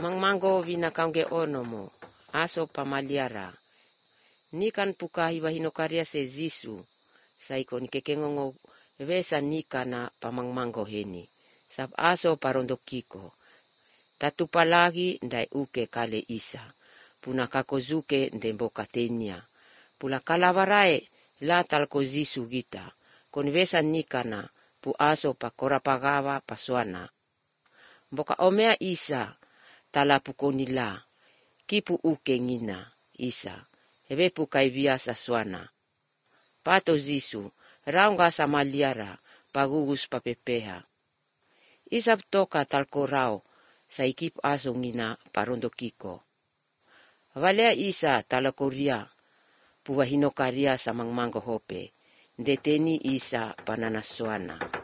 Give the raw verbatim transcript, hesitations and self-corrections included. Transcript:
Mangmango vinakaunge ono mo, aso pamaliara. Nikan pukahi wahinokaria se zisu, saiko nikekengongo vesa nika na pamangmango heni. Sab aso parondokiko. Tatupa lagi ndai uke kale isa. Puna kakozuke ndembo katenia. Pula kalawarae la talko zisu gita. Konvesa nika na pu aso pa korapagawa paswana. Mboka omea isa tala pukonila. Kipu uke ngina isa. Hebe pukai biasa swana. Pato zisu raunga samaliara pagugus papepeha. Isap toka talkorao saikip aso ngina parondokiko. Valea isa talakoria puwahinokaria sa mangmango hope. Deteni isa pananaswana.